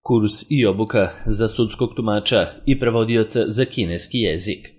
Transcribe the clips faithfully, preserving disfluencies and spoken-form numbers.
Kurs i obuka za sudskog tumača i prevodioca za kineski jezik.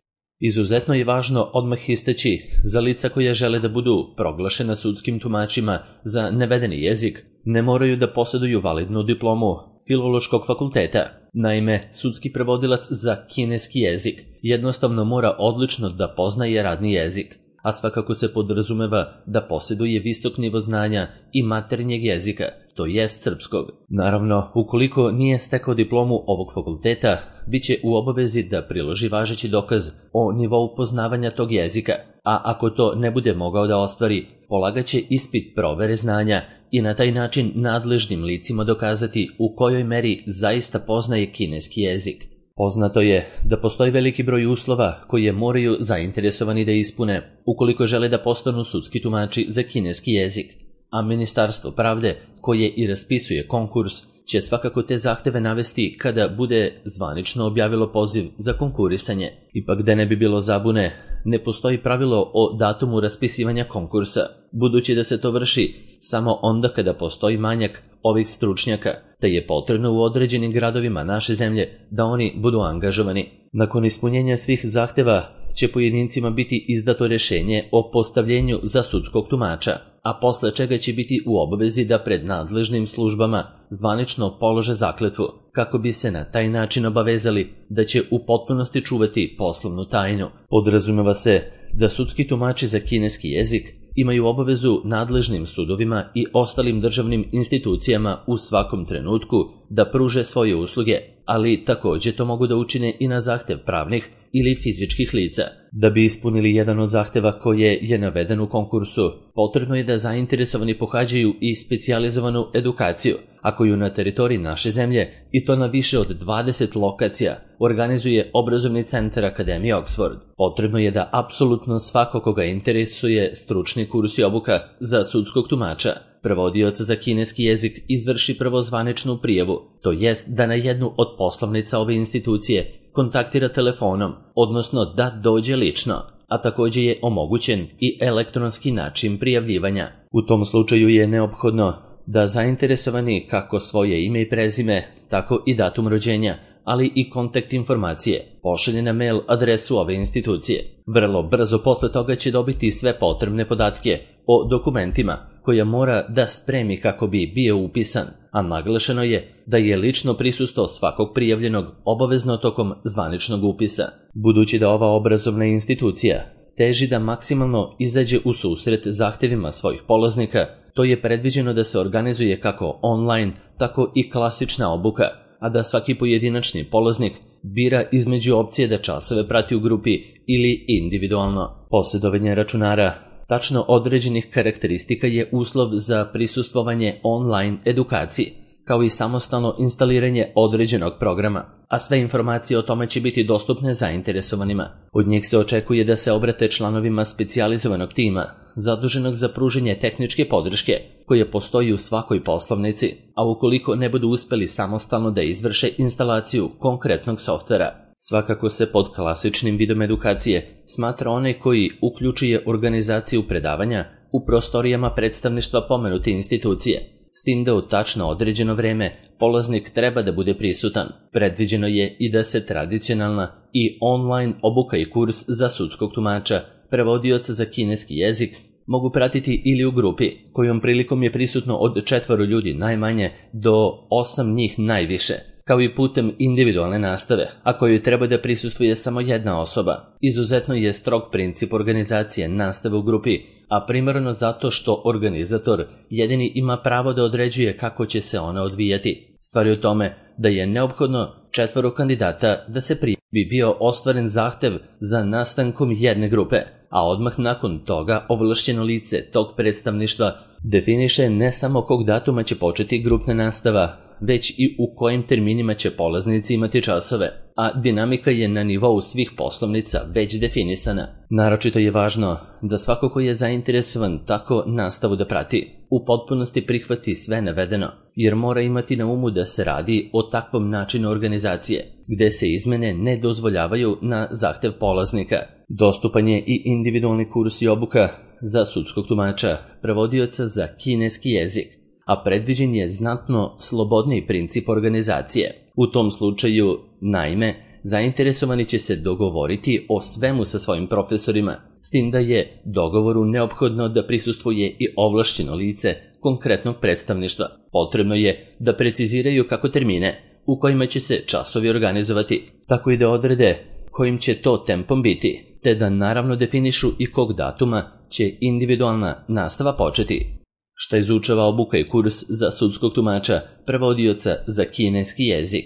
Izuzetno je važno odmah istaći za lica koja žele da budu proglašena sudskim tumačima za navedeni jezik, ne moraju da posjeduju validnu diplomu Filološkog fakulteta. Naime, sudski prevodilac za kineski jezik jednostavno mora odlično da poznaje radni jezik, a svakako se podrazumeva da posjeduje visok nivo znanja i maternjeg jezika, to jest srpskog. Naravno, ukoliko nije stekao diplomu ovog fakulteta, bit će u obavezi da priloži važeći dokaz o nivou poznavanja tog jezika, a ako to ne bude mogao da ostvari, polagaće ispit provere znanja i na taj način nadležnim licima dokazati u kojoj meri zaista poznaje kineski jezik. Poznato je da postoji veliki broj uslova koje moraju zainteresovani da ispune ukoliko žele da postanu sudski tumači za kineski jezik, a Ministarstvo pravde, koje i raspisuje konkurs, će svakako te zahteve navesti kada bude zvanično objavilo poziv za konkurisanje. Ipak da ne bi bilo zabune, ne postoji pravilo o datumu raspisivanja konkursa, budući da se to vrši samo onda kada postoji manjak ovih stručnjaka, te je potrebno u određenim gradovima naše zemlje da oni budu angažovani. Nakon ispunjenja svih zahteva će pojedincima biti izdato rješenje o postavljenju za sudskog tumača, a posle čega će biti u obavezi da pred nadležnim službama zvanično polože zakletvu, kako bi se na taj način obavezali da će u potpunosti čuvati poslovnu tajnu. Podrazumeva se da sudski tumači za kineski jezik imaju obavezu nadležnim sudovima i ostalim državnim institucijama u svakom trenutku da pruže svoje usluge, ali također to mogu da učine i na zahtev pravnih ili fizičkih lica. Da bi ispunili jedan od zahteva koje je naveden u konkursu, potrebno je da zainteresovani pohađaju i specijalizovanu edukaciju, a koju na teritoriji naše zemlje, i to na više od dvadeset lokacija, organizuje obrazovni centar Akademije Oxford. Potrebno je da apsolutno svako koga interesuje stručni kurs i obuka za sudskog tumača, prevodioca za kineski jezik, izvrši prvo zvaničnu prijavu, to jest da na jednu od poslovnica ove institucije kontaktira telefonom, odnosno da dođe lično, a također je omogućen i elektronski način prijavljivanja. U tom slučaju je neophodno da zainteresovani kako svoje ime i prezime, tako i datum rođenja, ali i kontakt informacije pošalje na mail adresu ove institucije. Vrlo brzo posle toga će dobiti sve potrebne podatke o dokumentima koja mora da spremi kako bi bio upisan, a naglašeno je da je lično prisustvo svakog prijavljenog obavezno tokom zvaničnog upisa. Budući da ova obrazovna institucija teži da maksimalno izađe u susret zahtevima svojih polaznika, to je predviđeno da se organizuje kako online, tako i klasična obuka, a da svaki pojedinačni polaznik bira između opcije da časove prati u grupi ili individualno. Posjedovanje računara tačno određenih karakteristika je uslov za prisustvovanje online edukaciji, kao i samostalno instaliranje određenog programa, a sve informacije o tome će biti dostupne zainteresovanima. Od njih se očekuje da se obrate članovima specijalizovanog tima, zaduženog za pružanje tehničke podrške, koje postoji u svakoj poslovnici, a ukoliko ne budu uspeli samostalno da izvrše instalaciju konkretnog softvera. Svakako se pod klasičnim vidom edukacije smatra onaj koji uključuje organizaciju predavanja u prostorijama predstavništva pomenute institucije, s tim da u tačno određeno vreme polaznik treba da bude prisutan. Predviđeno je i da se tradicionalna i online obuka i kurs za sudskog tumača, prevodioca za kineski jezik, mogu pratiti ili u grupi, kojom prilikom je prisutno od četvoro ljudi najmanje do osam njih najviše, kao i putem individualne nastave, a kojoj treba da prisustvuje samo jedna osoba. Izuzetno je strog princip organizacije nastave u grupi, a primarno zato što organizator jedini ima pravo da određuje kako će se ona odvijati. Stvar je u tome da je neophodno četvoro kandidata da se prijavi bi bio ostvaren zahtev za nastankom jedne grupe, a odmah nakon toga ovlašćeno lice tog predstavništva definiše ne samo kog datuma će početi grupna nastava, već i u kojim terminima će polaznici imati časove, a dinamika je na nivou svih poslovnica već definisana. Naročito je važno da svako ko je zainteresovan tako nastavu da prati, u potpunosti prihvati sve navedeno, jer mora imati na umu da se radi o takvom načinu organizacije, gde se izmene ne dozvoljavaju na zahtev polaznika. Dostupan je i individualni kurs i obuka za sudskog tumača, prevodioca za kineski jezik, a predviđen je znatno slobodniji princip organizacije. U tom slučaju, naime, zainteresovani će se dogovoriti o svemu sa svojim profesorima, s tim da je dogovoru neophodno da prisustvuje i ovlašćeno lice konkretnog predstavništva. Potrebno je da preciziraju kako termine u kojima će se časovi organizovati, tako i da odrede kojim će to tempom biti, te da naravno definišu i kog datuma će individualna nastava početi. Šta izučava obuka i kurs za sudskog tumača, prevodioca za kineski jezik?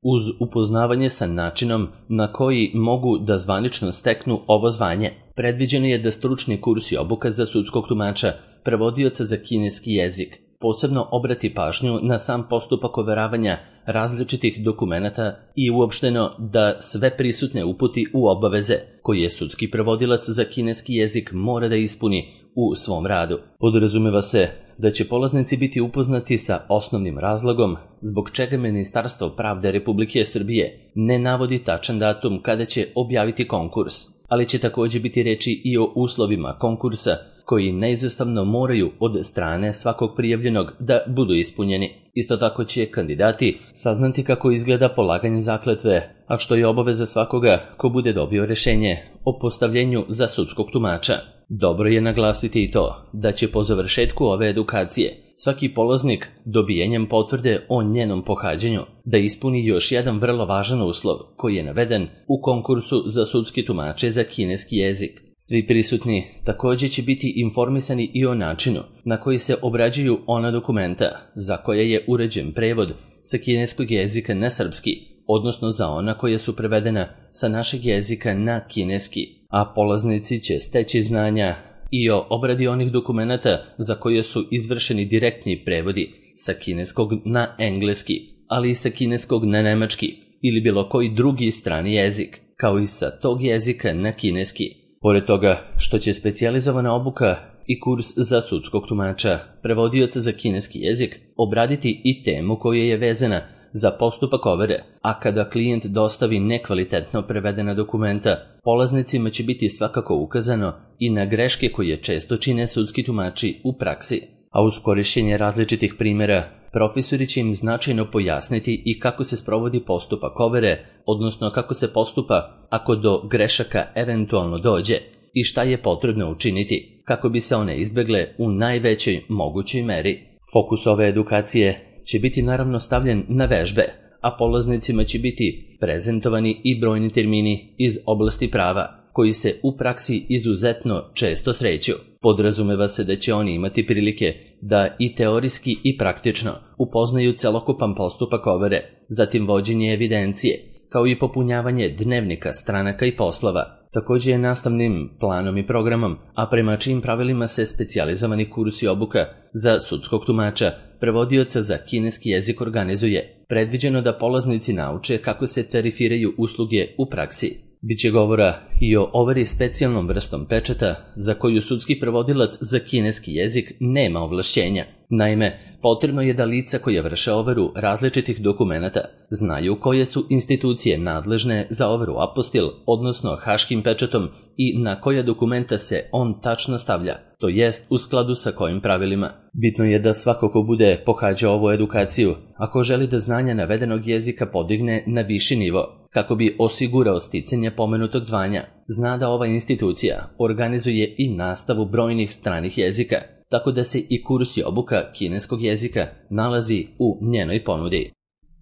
Uz upoznavanje sa načinom na koji mogu da zvanično steknu ovo zvanje, predviđeno je da stručni kurs i obuka za sudskog tumača, prevodioca za kineski jezik, posebno obrati pažnju na sam postupak overavanja različitih dokumenata i uopšteno da sve prisutne uputi u obaveze koje sudski prevodilac za kineski jezik mora da ispuni u svom radu. Podrazumeva se da će polaznici biti upoznati sa osnovnim razlogom zbog čega Ministarstvo pravde Republike Srbije ne navodi tačan datum kada će objaviti konkurs, ali će također biti reči i o uslovima konkursa koji neizostavno moraju od strane svakog prijavljenog da budu ispunjeni. Isto tako će kandidati saznati kako izgleda polaganje zakletve, a što je obaveza svakoga ko bude dobio rješenje o postavljenju za sudskog tumača. Dobro je naglasiti i to da će po završetku ove edukacije svaki polaznik dobijanjem potvrde o njenom pohađanju da ispuni još jedan vrlo važan uslov koji je naveden u konkursu za sudski tumače za kineski jezik. Svi prisutni također će biti informisani i o načinu na koji se obrađuju ona dokumenta za koje je uređen prevod sa kineskog jezika na srpski, odnosno za ona koja su prevedena sa našeg jezika na kineski, a polaznici će steći znanja i o obradi onih dokumenata za koje su izvršeni direktni prevodi sa kineskog na engleski, ali i sa kineskog na nemački ili bilo koji drugi strani jezik, kao i sa tog jezika na kineski. Pored toga što će specijalizovana obuka i kurs za sudskog tumača, prevodioca za kineski jezik, obraditi i temu koja je vezana za postupak overe, a kada klijent dostavi nekvalitetno prevedena dokumenta, polaznicima će biti svakako ukazano i na greške koje često čine sudski tumači u praksi. A uz korišćenje različitih primjera, profesori će im značajno pojasniti i kako se sprovodi postupak overe, odnosno kako se postupa ako do grešaka eventualno dođe i šta je potrebno učiniti kako bi se one izbegle u najvećoj mogućoj meri. Fokus ove edukacije će biti naravno stavljen na vežbe, a polaznicima će biti prezentovani i brojni termini iz oblasti prava, koji se u praksi izuzetno često sreću. Podrazumeva se da će oni imati prilike da i teorijski i praktično upoznaju celokupan postupak overe, zatim vođenje evidencije, kao i popunjavanje dnevnika, stranaka i poslova. Također je nastavnim planom i programom, a prema čijim pravilima se specijalizovani kurs i obuka za sudskog tumača, prevodioca za kineski jezik organizuje, predviđeno da polaznici nauče kako se tarifiraju usluge u praksi. Biće govora i o overi specijalnom vrstom pečata za koju sudski prevodilac za kineski jezik nema ovlašćenja. Naime, potrebno je da lica koja vrše overu različitih dokumenata znaju koje su institucije nadležne za overu apostil, odnosno haškim pečatom, i na koja dokumenta se on tačno stavlja, to jest u skladu sa kojim pravilima. Bitno je da svako ko bude pohađao ovu edukaciju, ako želi da znanja navedenog jezika podigne na viši nivo, kako bi osigurao sticanje pomenutog zvanja, zna da ova institucija organizuje i nastavu brojnih stranih jezika, tako da se i kurs i obuka kineskog jezika nalazi u njenoj ponudi.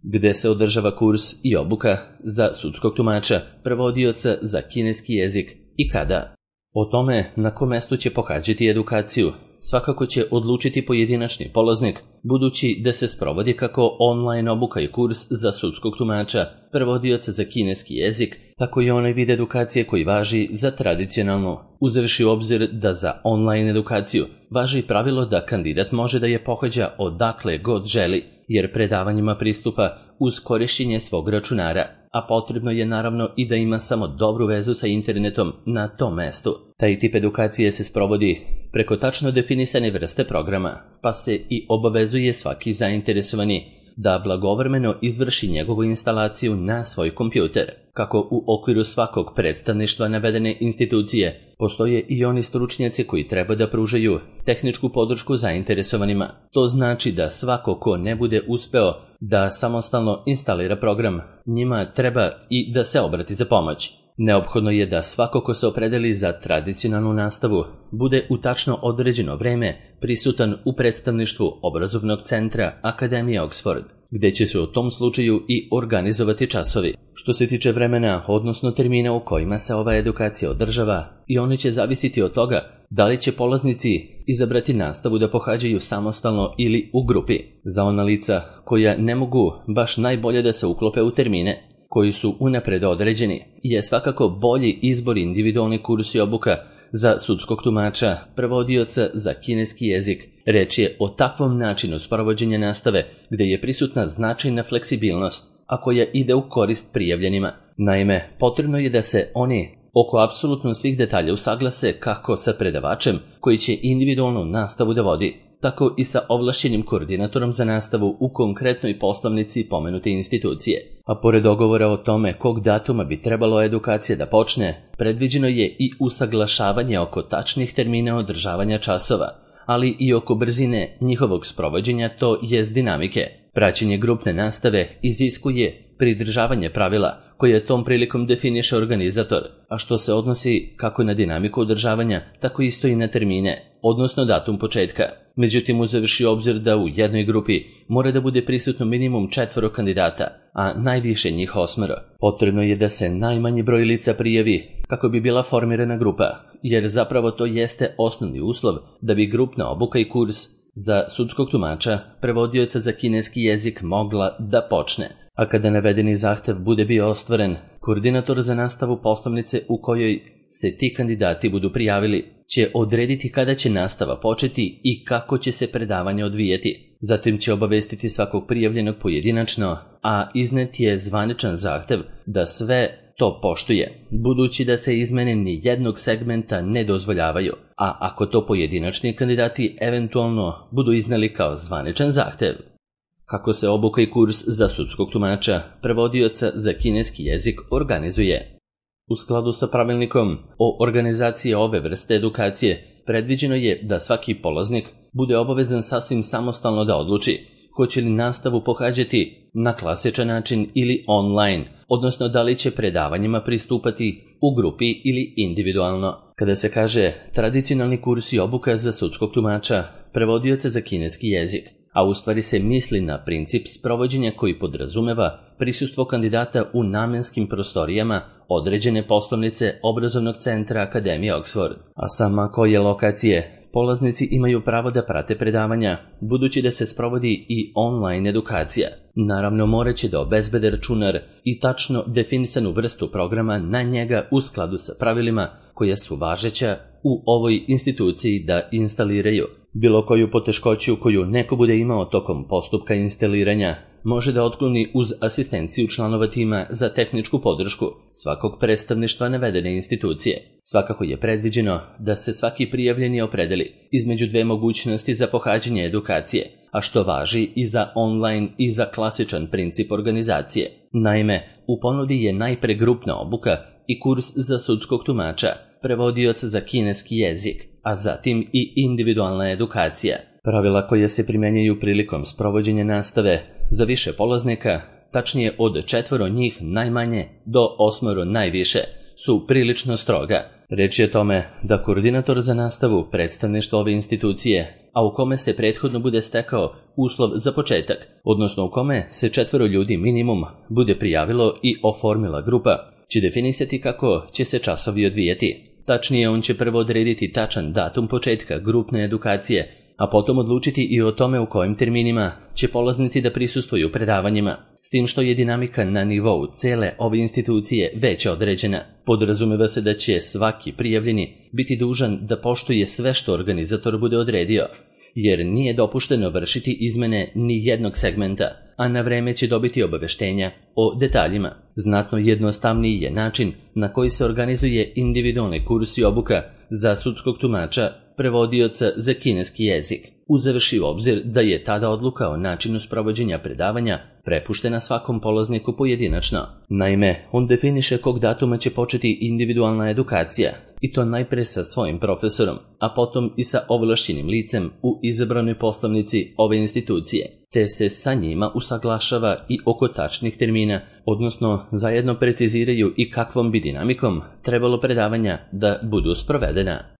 Gde se održava kurs i obuka za sudskog tumača, prevodioca za kineski jezik i kada? O tome na kom mestu će pohađati edukaciju svakako će odlučiti pojedinačni polaznik, budući da se sprovodi kako online obuka i kurs za sudskog tumača, prevodioca za kineski jezik, tako i onaj vid edukacije koji važi za tradicionalnu, uzevši u obzir da za online edukaciju važi pravilo da kandidat može da je pohađa odakle god želi, jer predavanjima pristupa uz korišćenje svog računara, a potrebno je naravno i da ima samo dobru vezu sa internetom na tom mestu. Taj tip edukacije se sprovodi preko tačno definisane vrste programa, pa se i obavezuje svaki zainteresovani da blagovremeno izvrši njegovu instalaciju na svoj kompjuter. kako u okviru svakog predstavništva navedene institucije postoje i oni stručnjaci koji treba da pružaju tehničku podršku zainteresovanima. To znači da svako ko ne bude uspeo da samostalno instalira program, njima treba i da se obrati za pomoć. Neophodno je da svako ko se opredeli za tradicionalnu nastavu bude u tačno određeno vreme prisutan u predstavništvu obrazovnog centra Akademije Oxford, gde će se u tom slučaju i organizovati časovi. Što se tiče vremena, odnosno termina u kojima se ova edukacija održava, i oni će zavisiti od toga da li će polaznici izabrati nastavu da pohađaju samostalno ili u grupi. Za ona lica koja ne mogu baš najbolje da se uklope u termine koji su unapred određeni, je svakako bolji izbor individualni kurs i obuka za sudskog tumača, prevodioca za kineski jezik. Reč je o takvom načinu sprovođenja nastave gde je prisutna značajna fleksibilnost, a koja ide u korist prijavljenima. Naime, potrebno je da se oni oko apsolutno svih detalja usaglase kako sa predavačem koji će individualnu nastavu da vodi, tako i sa ovlašćenim koordinatorom za nastavu u konkretnoj poslovnici pomenute institucije. A pored dogovora o tome kog datuma bi trebalo edukacija da počne, predviđeno je i usaglašavanje oko tačnih termina održavanja časova, ali i oko brzine njihovog sprovođenja, to jest dinamike. Praćenje grupne nastave iziskuje pridržavanje pravila koje tom prilikom definiše organizator, a što se odnosi kako na dinamiku održavanja, tako isto i na termine, odnosno datum početka. Međutim, uzevši obzir da u jednoj grupi mora da bude prisutno minimum četvoro kandidata, a najviše njih osmero, potrebno je da se najmanji broj lica prijavi kako bi bila formirana grupa, jer zapravo to jeste osnovni uslov da bi grupna obuka i kurs za sudskog tumača, prevodioca za kineski jezik mogla da počne. A kada navedeni zahtev bude bio ostvaren, koordinator za nastavu poslovnice u kojoj se ti kandidati budu prijavili će odrediti kada će nastava početi i kako će se predavanje odvijeti. Zatim će obavestiti svakog prijavljenog pojedinačno, a iznet je zvaničan zahtev da sve to poštuje, budući da se izmene ni jednog segmenta ne dozvoljavaju, a ako to pojedinačni kandidati eventualno budu izneli kao zvaničan zahtev. Kako se obuka i kurs za sudskog tumača, prevodioca za kineski jezik organizuje? U skladu sa pravilnikom o organizaciji ove vrste edukacije, predviđeno je da svaki polaznik bude obavezan sasvim samostalno da odluči hoće li nastavu pohađati na klasičan način ili online, odnosno da li će predavanjima pristupati u grupi ili individualno. Kada se kaže tradicionalni kurs i obuka za sudskog tumača, prevodioca za kineski jezik, a u stvari se misli na princip sprovođenja koji podrazumeva prisustvo kandidata u namenskim prostorijama određene poslovnice obrazovnog centra Akademije Oxford. A sama koje lokacije polaznici imaju pravo da prate predavanja, budući da se sprovodi i online edukacija. Naravno, moraće da obezbede računar i tačno definisanu vrstu programa na njega u skladu sa pravilima koja su važeća u ovoj instituciji da instaliraju. Bilo koju poteškoću koju neko bude imao tokom postupka instaliranja može da otkloni uz asistenciju članova tima za tehničku podršku svakog predstavništva navedene institucije. Svakako je predviđeno da se svaki prijavljeni opredeli između dve mogućnosti za pohađanje edukacije, a što važi i za online i za klasičan princip organizacije. Naime, u ponudi je najpre grupna obuka i kurs za sudskog tumača, prevodioca za kineski jezik, a zatim i individualna edukacija. Pravila koja se primenjaju prilikom sprovođenja nastave za više polaznika, tačnije od četvoro njih najmanje do osmoro najviše, su prilično stroga. Reč je o tome da koordinator za nastavu predstavništva ove institucije, a u kome se prethodno bude stekao uslov za početak, odnosno u kome se četvoro ljudi minimum bude prijavilo i oformila grupa, će definisati kako će se časovi odvijati. Tačnije, on će prvo odrediti tačan datum početka grupne edukacije, a potom odlučiti i o tome u kojim terminima će polaznici da prisustvuju predavanjima, s tim što je dinamika na nivou cele ove institucije već određena. Podrazumeva se da će svaki prijavljeni biti dužan da poštuje sve što organizator bude odredio, jer nije dopušteno vršiti izmene ni jednog segmenta, a na vreme će dobiti obaveštenja o detaljima. Znatno jednostavniji je način na koji se organizuje individualni kurs i obuka za sudskog tumača, prevodioca za kineski jezik. uzevši u obzir da je tada odluka o načinu sprovođenja predavanja prepuštena svakom polazniku pojedinačno. Naime, on definiše kog datuma će početi individualna edukacija, i to najpre sa svojim profesorom, a potom i sa ovlašćenim licem u izabranoj poslovnici ove institucije, te se sa njima usaglašava i oko tačnih termina, odnosno zajedno preciziraju i kakvom bi dinamikom trebalo predavanja da budu sprovedena.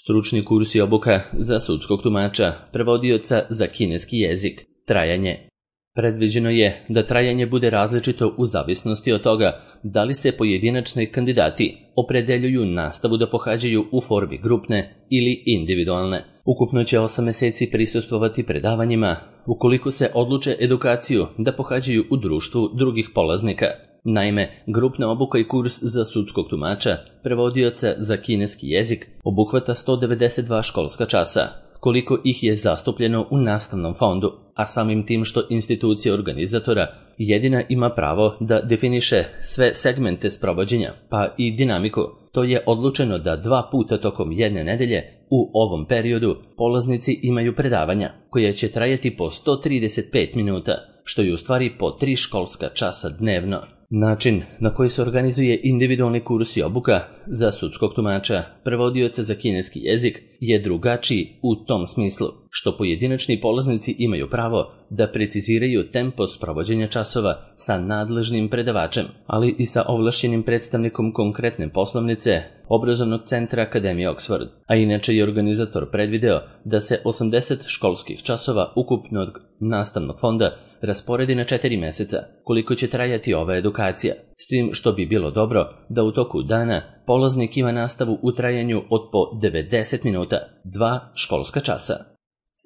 Stručni kurs i obuka za sudskog tumača, prevodioca za kineski jezik, trajanje. Predviđeno je da trajanje bude različito u zavisnosti od toga da li se pojedinačni kandidati opredeljuju nastavu da pohađaju u formi grupne ili individualne. Ukupno će osam meseci prisustvovati predavanjima ukoliko se odluče edukaciju da pohađaju u društvu drugih polaznika. Naime, grupna obuka i kurs za sudskog tumača, prevodioca za kineski jezik, obuhvata sto devedeset dva školska časa, koliko ih je zastupljeno u nastavnom fondu, a samim tim što institucija organizatora jedina ima pravo da definiše sve segmente sprovođenja, pa i dinamiku. To je odlučeno da dva puta tokom jedne nedelje u ovom periodu polaznici imaju predavanja, koje će trajati po sto trideset pet minuta, što je u stvari po tri školska časa dnevno. Način na koji se organizuje individualni kurs i obuka za sudskog tumača, prevodioca za kineski jezik, je drugačiji u tom smislu, što pojedinačni polaznici imaju pravo da preciziraju tempo sprovođenja časova sa nadležnim predavačem, ali i sa ovlašćenim predstavnikom konkretne poslovnice obrazovnog centra Akademije Oxford, a inače je organizator predvideo da se osamdeset školskih časova ukupnog nastavnog fonda rasporedi na četiri meseca, koliko će trajati ova edukacija, s tim što bi bilo dobro da u toku dana polaznik ima nastavu u trajanju od po devedeset minuta, dva školska časa.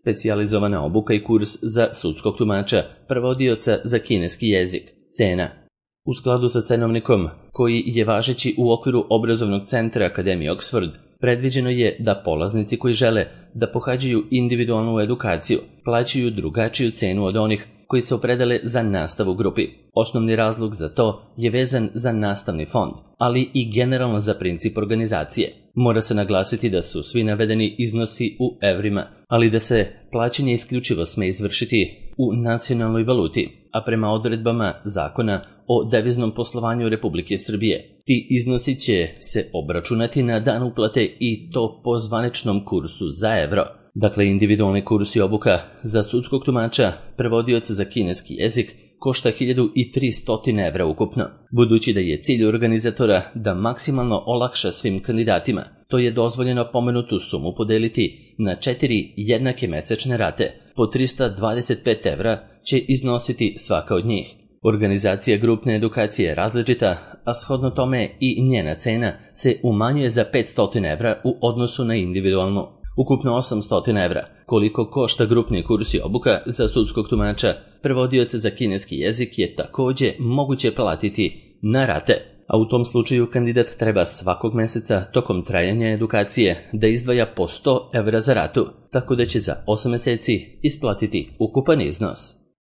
Specijalizovana obuka i kurs za sudskog tumača, prevodioca za kineski jezik, cena. U skladu sa cenovnikom, koji je važeći u okviru obrazovnog centra Akademije Oxford, predviđeno je da polaznici koji žele da pohađaju individualnu edukaciju plaćaju drugačiju cenu od onih koji se opredele za nastavu u grupi. Osnovni razlog za to je vezan za nastavni fond, ali i generalno za princip organizacije. Mora se naglasiti da su svi navedeni iznosi u evrima, ali da se plaćanje isključivo sme izvršiti u nacionalnoj valuti, a prema odredbama zakona o deviznom poslovanju Republike Srbije. Ti iznosi će se obračunati na dan uplate i to po zvaničnom kursu za evro. Dakle, individualni kurs i obuka za sudskog tumača, prevodioca za kineski jezik, košta hiljadu tristo evra ukupno. Budući da je cilj organizatora da maksimalno olakša svim kandidatima, to je dozvoljeno pomenutu sumu podeliti na četiri jednake mesečne rate, po trista dvadeset pet evra će iznositi svaka od njih. Organizacija grupne edukacije je različita, a shodno tome i njena cena se umanjuje za petsto evra u odnosu na individualnu. Ukupno osamsto evra, koliko košta grupni kurs i obuka za sudskog tumača, prevodioca za kineski jezik, je takođe moguće platiti na rate, a u tom slučaju kandidat treba svakog meseca tokom trajanja edukacije da izdvaja po sto evra za ratu, tako da će za osam meseci isplatiti ukupan iznos.